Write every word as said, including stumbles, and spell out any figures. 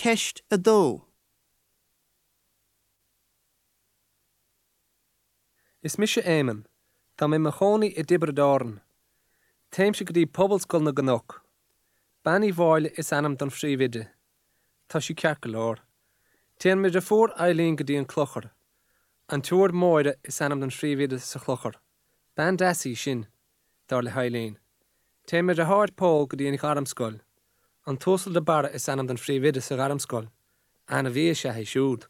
Ceist a dó. Is mise Éamonn, Tá mé i mo chónaí i dTiobraid Árann. Téimse go dtí Pobalscoil na gCnoc. Bean Uí Mháille is ainm don phríomhoide. Tá sí ceart go leor. Téann mo dheirfiúr Eileen go dtí an clochar. An tSiúr Máire is ainm don phríomhoide sa chlochar. Bean deas í sin, dar le hEileen. Téann mo dheartháir Pól go dtí an Ghairmscoil. An tUasal de Barra is ainm don phríomhoide sa Ghairmscoil. Ainmhí is ea é siúd.